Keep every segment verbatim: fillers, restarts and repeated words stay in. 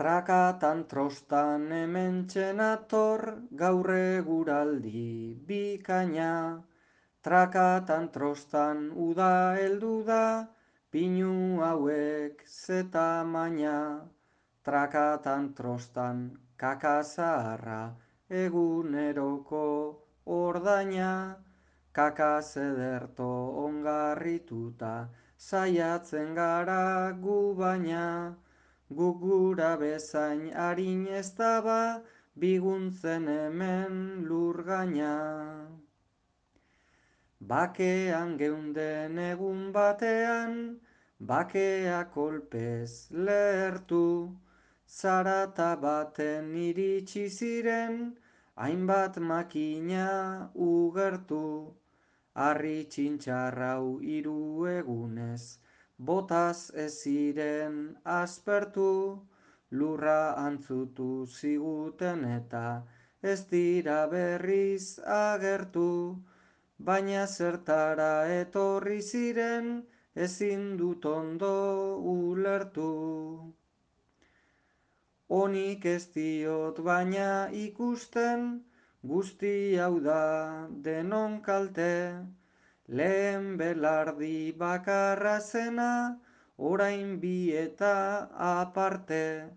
Trakatan trostan hementxe nator gaur eguraldi bikaina. Trakatan trostan uda heldu da, pinu hauek ze tamaina. Trakatan trostan kaka zaharra eguneroko ordaina. Kaka zederto ongarrituta saiatzen gara gu baina. Guk gura bezain arin ez daba biguntzen hemen lur gaina. Bakean geunden egun batean, bakea kolpez lehertu, zarata baten iritsi ziren, hainbat makina ugertu. Harri txintxarrau hiru egunez, botaz ez ziren aspertu, lurra antzutu ziguten eta ez dira berriz agertu. Baina zertara etorri ziren ezin dut ondo ulertu. Onik ez diot baina ikusten, guzti hau da denon kalte. Lehen belardi bakarra zena, orain bi eta aparte.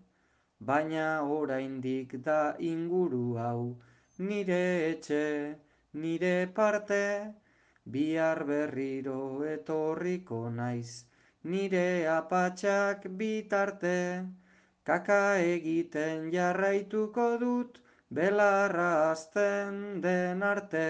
Baina oraindik da inguru hau, nire etxe, nire parte. Bihar berriro etorriko naiz, nire apatxak bitarte. Kaka egiten jarraituko dut, belarra hasten den arte.